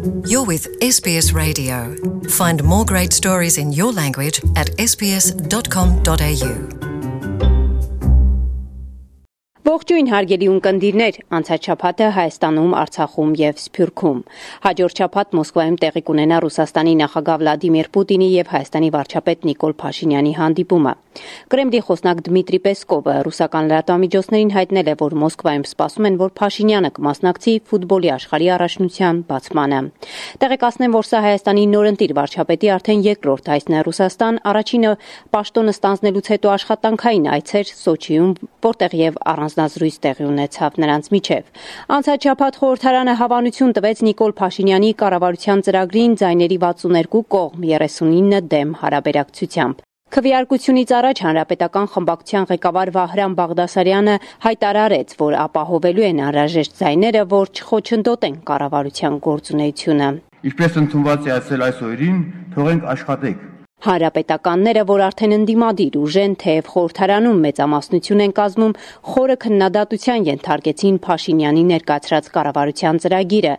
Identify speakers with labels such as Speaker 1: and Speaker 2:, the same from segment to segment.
Speaker 1: You're with SBS Radio. Find more great stories in your language at sbs.com.au.
Speaker 2: Ողջույն հարգելի ունկնդիրներ, անցած շաբաթը Հայաստանում, Արցախում եւ Սփյուռքում։ Հաջորդ շաբաթ Մոսկվայում տեղի կունենա Ռուսաստանի նախագահ Վլադիմիր Պուտինի եւ Հայաստանի վարչապետ Նիկոլ Փաշինյանի հանդիպումը։ Կրեմլի խոսնակ Դմիտրի Պեսկովը ռուսական լրատվամիջոցներին հայտնել է, որ Մոսկվայում սպասում են, որ Փաշինյանը կմասնակցի ֆուտբոլի աշխարհի առաջնության բացմանը։ Տեղեկացնեմ, որ սա Հայաստանի նորընտիր վարչապետի արդեն երկրորդ այցն է Ռուսաստան, առաջինը պաշտոնը ստանձնելուց հետո աշխատանքային այց էր Սոչիում, որտեղ եւ առանձնազրույց տեղի ունեցավ նրանց միջև։ Անցած շաբաթ խորհրդարանը հավանություն տվեց Նիկոլ Փաշինյանի կառավարության ծրագրին ձայների 62 կողմ 39 դեմ հարաբերակցությամբ։ Քվեարկությունից առաջ հանրապետական խմբակցության ղեկավար Վահրամ Բաղդասարյանը հայտարարեց, որ ապահովելու են անհրաժեշտ ձայները, որ չխոչընդոտեն կառավարության գործունեությունը։
Speaker 3: Ինչպես ընդունված է ասել այս օրերին, թողենք աշխատենք։
Speaker 2: Հանրապետականները, որ արդեն ընդդիմադիր ուժ են, թեև խորհրդարանում մեծամասնություն են կազմում, խորը քննադատության ենթարկեցին Փաշինյանի ներկայացրած կառավարության ծրագիրը։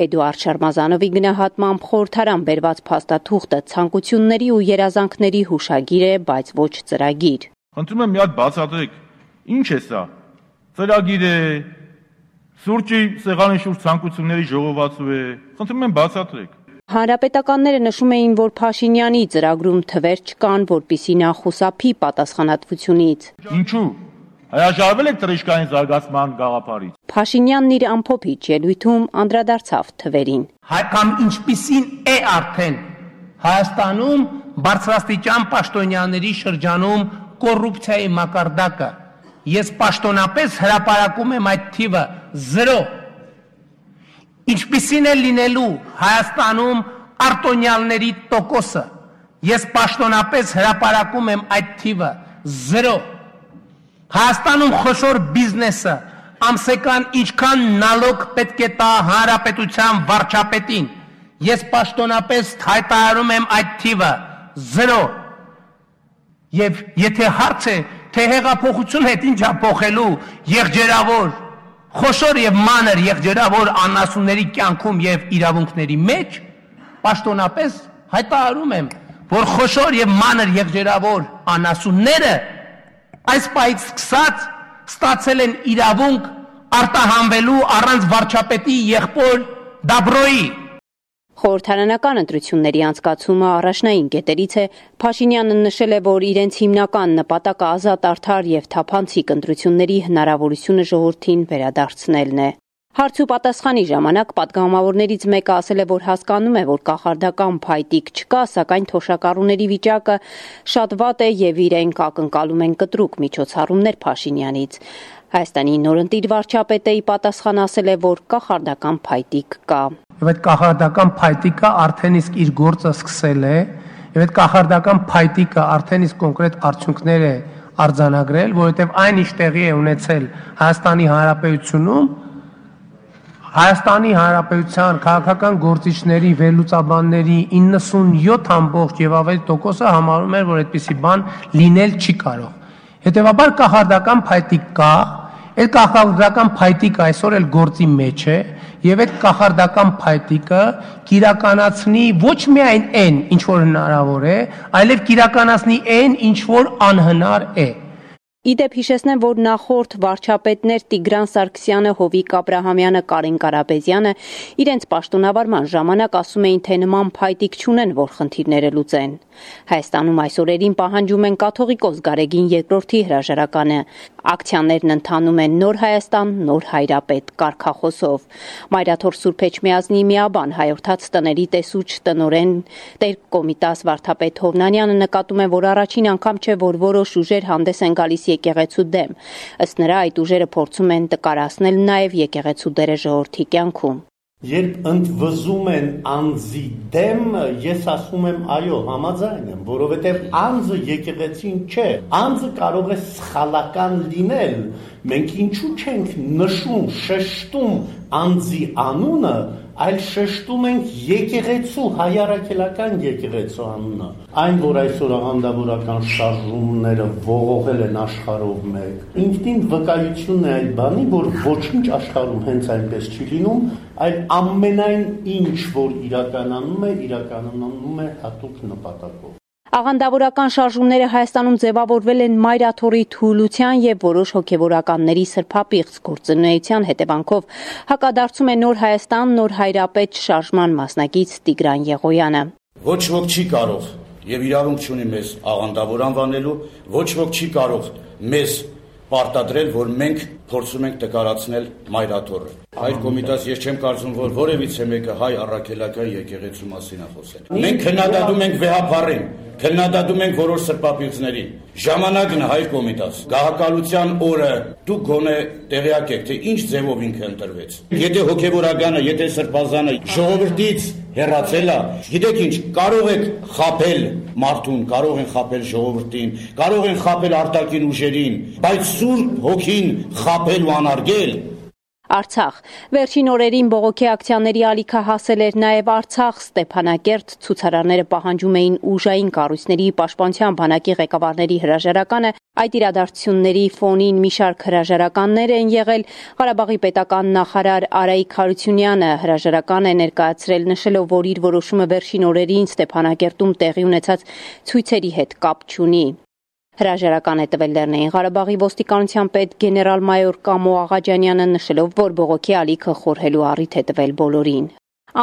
Speaker 2: Էդուարդ Շարմազանովի գնահատմամբ խորհրդարան բերված փաստաթուղթը ցանկությունների ու երազանքների հուշագիր է, բայց ոչ ծրագիր։
Speaker 3: Խնդրում եմ մի հատ բացատրեք, ինչ է սա։ Ծրագիր է, սուրճի սեղանի շուրջ ցանկությունների ժողովածու է։ Խնդրում եմ բացատրեք։
Speaker 2: Հանրապետականները նշում էին, որ Փաշինյանի ծրագրում թվեր չկան, որպիսի նա խուսափի պատասխանատվությունից։
Speaker 3: Ինչու՞։ Հրաժարվել եք թռիչքային զարգացման գաղափարից։
Speaker 2: Փաշինյանն իր ամփոփիչ ելույթում անդրադարձավ թվերին։
Speaker 4: Կամ ինչպիսին է արդեն Հայաստանում բարձրաստիճան պաշտոնյաների շրջանում կոռուպցիայի մակարդակը։ Ես պաշտոնապես հրապարակում եմ այդ թիվը 0։ Ինչպիսին է լինելու Հայաստանում արտոնյալների տոկոսը։ Ես պաշտոնապես հրապարակում եմ այդ թիվը 0։ Հայաստանում խոշոր բիզնեսը ամսական ինչքան նալոգ պետք է տա հանրապետության վարչապետին։ Ես պաշտոնապես հայտարարում եմ այդ թիվը 0։ Եվ եթե հարց է, թե հեղափոխություն հետ ինչ է փոխելու եղջերավոր խոշոր եւ մանր եղջերավոր անասունների կյանքում եւ իրավունքների մեջ, պաշտոնապես հայտարարում եմ, որ խոշոր եւ մանր եղջերավոր անասունները այս պահից սկսած ստացել են իրավունք արտահանվելու առանց վարչապետի եղբոր Դաբրոյի։
Speaker 2: Խորհրդարանական ընտրությունների անցկացումը առաջնային կետերից է։ Փաշինյանը նշել է, որ իրենց հիմնական նպատակը ազատ, արդար եւ թափանցիկ ընտրությունների հնարավորությունը ժողովրդին վերադարձնելն է։ Հարց ու պատասխանի ժամանակ պատգամավորներից մեկը ասել է, որ հասկանում է, որ կախարդական փայտիկ չկա, սակայն թոշակառուների վիճակը շատ վատ է եւ իրենք ակնկալում են կտրուկ միջոցառումներ Փաշինյանից։ Հայաստանի նորընտիր վարչապետը ի պատասխան ասել է, որ կախարդական փայտիկ կա։
Speaker 4: Եվ այդ կախարդական փայտիկը արդեն իսկ իր գործը սկսել է, եւ այդ կախարդական փայտիկը արդեն իսկ կոնկրետ արդյունքներ է արձանագրել, որովհետեւ այն ինչ տեղի է ունեցել Հայաստանի Հանրապետությունում, Հայաստանի Հանրապետության քաղաքական գործիչների, վերլուծաբանների 97% եւ ավելի տոկոսը համարում էր, որ այդպիսի բան լինել չի կարող։ Հետևաբար կախարդական փայտիկ կա, այդ կախարդական փայտիկը այսօր էլ գործի մեջ է, եւ այդ կախարդական փայտիկը կիրականացնի ոչ միայն այն, ինչ որ հնարավոր է, այլև կիրականացնի այն, ինչ որ անհնար է։
Speaker 2: Իդեպ հիշեցնեմ, որ նախորդ վարչապետներ Տիգրան Սարգսյանը, Հովիկ Աբրահամյանը, Կարեն Կարապետյանը իրենց պաշտոնավարման ժամանակ ասում էին, թե նման փայտիկ չունեն, որ խնդիրները լուծեն։ Հայաստանում այս օրերին պահանջում են կաթողիկոս Գարեգին II հրաժարականը։ Ակցիաներն ընթանում են Նոր Հայաստան, Նոր Հայրապետ կարգախոսով։ Մայրաթոր Սուրբ Էջմիածնի միաբան հայորդաց տների տեսուչ տնօրեն Տեր Կոմիտաս Վարդապետ Հովնանյանը նկատում է, որ առաջին անգամ չէ, որ որոշ ուժեր հանդես են գալիս եկեղեցու դեմ։ Ըստ նրա, այդ ուժերը փորձում են տկարացնել նաև եկեղեցու դերը ժողովրդի կյանքում։
Speaker 5: Երբ ընդվզում են անձի դեմ, ես ասում եմ այո, համաձայն եմ, որովհետև անձը եկեղեցին չէ, անձը կարող է սխալական լինել, մենք ինչու չենք նշում, շեշտում անձի անունը, այլ շեշտում ենք եկեղեցու, հայ առաքելական եկեղեցու անունը։ Այն, որ այսօր աղանդավորական շարժումները ողողել են աշխարհով մեկ, ինքնին վկայությունն է այդ բանի, որ ոչինչ աշխարհում հենց այնպես չի լինում, այլ ամենայն ինչ, որ իրականանում է հատուկ նպատակով։
Speaker 2: Աղանդավորական շարժումները Հայաստանում ձևավորվել են մայրաթորի թուլության եւ որոշ հոգեվորականների սրբապիղծ գործունեության հետևանքով, հակադարձում է Նոր Հայաստան, Նոր Հայրապետ շարժման մասնակից Տիգրան Եղոյանը։
Speaker 6: Ոչ ոք չի կարող եւ իրավունք չունի մեզ աղանդավոր անվանելու, ոչ ոք չի կարող մեզ պարտադրել, որ մենք փորձում ենք տկարացնել մայրաթորը։ Հայր կոմիտաս ես չեմ կարծում, որ որևիցե մեկը հայ առաքելական եկեղեցու մասին է խոսել։ Մենք քննադատում ենք վեհապարին, քննադատում ենք որոշ սրբապիղծներին։ Ժամանակն է հայր կոմիտաս։ Գահակալության օրը դուք գոնե տեղյակ եք, թե ինչ ձևով ինքը ընտրվեց։ Եթե հոգևորականը, եթե սրբազանը ժողովրդից հեռացել է, գիտեք ինչ, կարող եք խաբել մարդուն, կարող են խաբել ժողովրդին, կարող են խաբել արտաքին ուժերին, բայց Սուրբ Հոգին խաբել ու անարգել։
Speaker 2: Արցախ վերջին օրերին բողոքի ակցիաների ալիքը հասել էր նաև Արցախ Ստեփանակերտ ցուցարարները պահանջում էին ուժային կառույցների պաշտպանության բանակի ղեկավարների հրաժարականը այդ իրադարձությունների ֆոնին մի շարք հրաժարականներ են եղել Ղարաբաղի պետական նախարար Արայիկ Հարությունյանը հրաժարական է ներկայացրել նշելով որ իր որոշումը վերջին օրերին Ստեփանակերտում տեղի ունեցած ցույցերի հետ կապ չունի Հրաժարական է տվել Լեռնային Ղարաբաղի ոստիկանության պետ գեներալ-մայոր Կամո Աղաջանյանը նշելով, որ բողոքի ալիքը խորհելու առիթ է տվել բոլորին։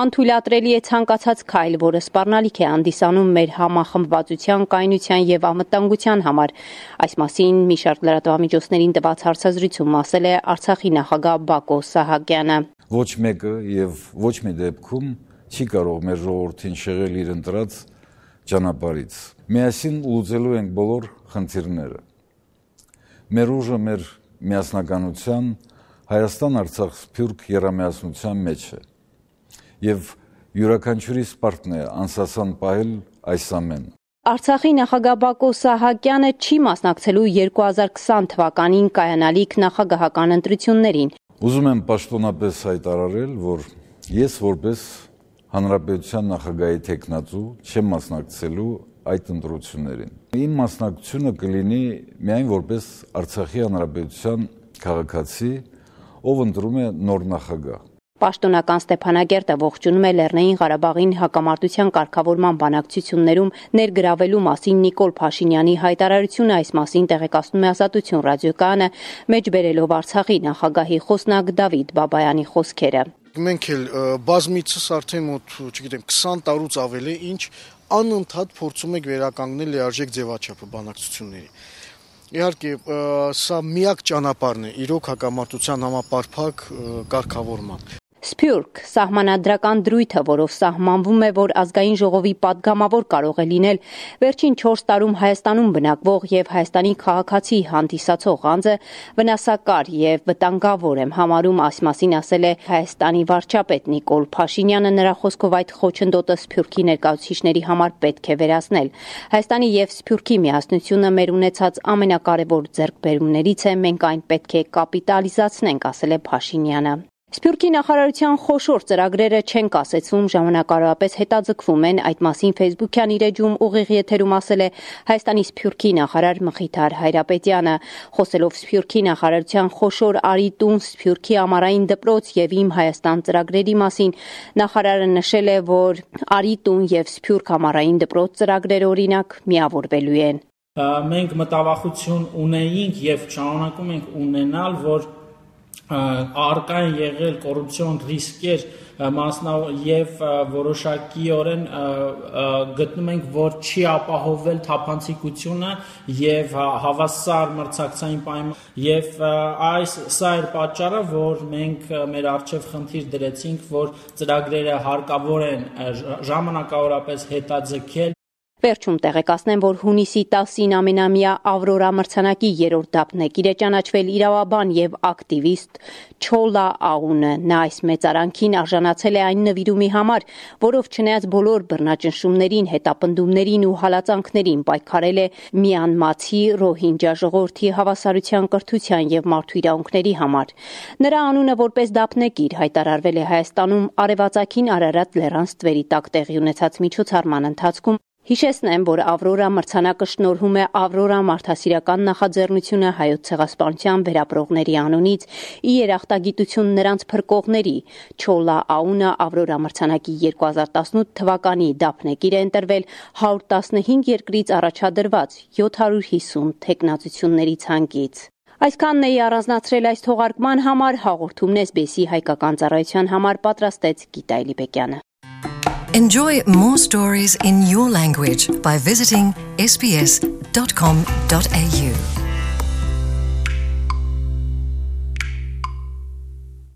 Speaker 2: Անթույլատրելի է ցանկացած քայլ, որը սպառնալիք է հանդիսանում մեր համախմբվածության, կայունության եւ անվտանգության համար։ Այս մասին մի շարք լրատվամիջոցներին տված հարցազրույցում ասել է Արցախի նախագահ Բակո Սահակյանը։
Speaker 7: Ոչ մեկը եւ ոչ մի դեպքում չի կարող մեր ժողովրդին շեղել իր ընտրած ճանապարհից։ Միասին լուծելու ենք բոլոր խնդիրները։ Մեր ուժը մեր միասնականության Հայաստան-Արցախ-Սփյուռք եռամիասնության մեջ է։ Եվ յուրաքանչյուրի սպարտն է անսասան պահել այս ամենը։
Speaker 2: Արցախի նախագահ Բակո Սահակյանը չի մասնակցելու 2020 թվականին կայանալիք նախագահական ընտրություններին։
Speaker 7: Ուզում եմ պաշտոնապես հայտարարել, որ ես որպես Հանրապետության նախագահի թեկնածու չեմ մասնակցելու այդ ընտրություններին։ Իմ մասնակցությունը կլինի միայն որպես Արցախի Հանրապետության քաղաքացի, ով ընտրում է նոր նախագահ։
Speaker 2: Պաշտոնական Ստեփանագերտը ողջունում է Լեռնային Ղարաբաղին հակամարտության կարգավորման բանակցություններում ներգրավելու մասին Նիկոլ Փաշինյանի հայտարարությունը այս մասին տեղեկացնում է Ազատություն ռադիոկայանը, մեջբերելով Արցախի նախագահի խոսնակ Դավիթ Բաբայանի խոսքերը։
Speaker 8: Մենք էլ բազմիցս արդեն մոտ, չգիտեմ, 20 տարուց ավելի ինչ անընդհատ փորձում ենք վերականգնել լիարժեք ձևաչափը բանակցությունների։ Իհարկե, սա միակ ճանապարհն է իրոք հակամարտության համապարփակ կարգավորման։
Speaker 2: Սփյուռք սահմանադրական դրույթը, որով սահմանվում է, որ ազգային ժողովի падգամավոր կարող է լինել վերջին 4 տարում Հայաստանում բնակվող եւ Հայաստանի քաղաքացի հանդիսացող անձը վնասակար եւ վտանգավոր եմ համարում, այս մասին ասել է Հայաստանի վարչապետ Նիկոլ Փաշինյանը, նրա խոսքով այդ խոչընդոտը Սփյուռքի ներկայացուցիչների համար պետք է վերացնել։ Հայաստանի եւ Սփյուռքի միասնությունը մեր ունեցած ամենակարևոր ձեռքբերումներից է, մենք այն պետք է կապիտալիզացնենք, ասել է Փաշինյանը։ Սփյուռքի նախարարության խոշոր ծրագրերը չեն կասեցվում, ժամանակավորապես հետաձգվում են, այդ մասին Facebook-յան իր էջում ուղիղ եթերում ասել է Հայաստանի Սփյուռքի նախարար Մխիթար Հայրապետյանը, խոսելով Սփյուռքի նախարարության խոշոր արիտուն Սփյուռքի ամառային դպրոց եւ Իմ Հայաստան ծրագրերի մասին, նախարարը նշել է, որ արիտուն եւ Սփյուռք ամառային դպրոց ծրագրերը օրինակ միավորվելու են։
Speaker 9: Մենք մտավախություն ունեինք եւ շարունակում ենք ունենալ, որ արկա են եղել կոռուպցիոն ռիսկեր եւ որոշակիորեն գտնում ենք, որ չի ապահովել թափանցիկությունը եւ հավասար մրցակցային պայման եւ սա էր պատճառը, որ մենք մեր առջեւ խնդիր դրեցինք, որ ծրագրերը հարկավոր են ժամանակավորապես հետաձգել։
Speaker 2: Վերջում տեղեկացնեմ, որ հունիսի 10-ին ամենամյա Ավրորա մրցանակի 3-րդ դափնեկիր է ճանաչվել իրավաբան եւ ակտիվիստ Չոլա Աունը։ Նա այս մեծարանքին արժանացել է այն նվիրումի համար, որով չնայած բոլոր բռնաճնշումներին, հետապնդումներին ու հալածանքներին պայքարել է Մյանմացի Ռոհինջա ժողովրդի հավասարության, կրթության եւ մարդու իրավունքների համար։ Նրա անունը որպես դափնեկիր հայտարարվել է Հայաստանում արևածագին Արարատ լեռան ստվերի տակ տեղի ունեցած միջոցառման ընթացքում։ Հիշեցնեմ, որ Ավրորա մրցանակը շնորհում է Ավրորա մարդասիրական նախաձեռնությունը Հայոց ցեղասպանության վերապրողների անունից ի երախտագիտություն նրանց փրկողների։ Չոլա Աունը Ավրորա մրցանակի 2018 թվականի դափնեկիր է ընտրվել 115 երկրից առաջադրված 750 թեկնածությունների ցանկից։ Այսքանն էի առանձնացրել այս թողարկման համար, հաղորդումն SBS-ի հայկական ծառայության համար պատրաստեց Գիտա Էլիբեկյանը։
Speaker 1: Enjoy more stories in your language by visiting sbs.com.au.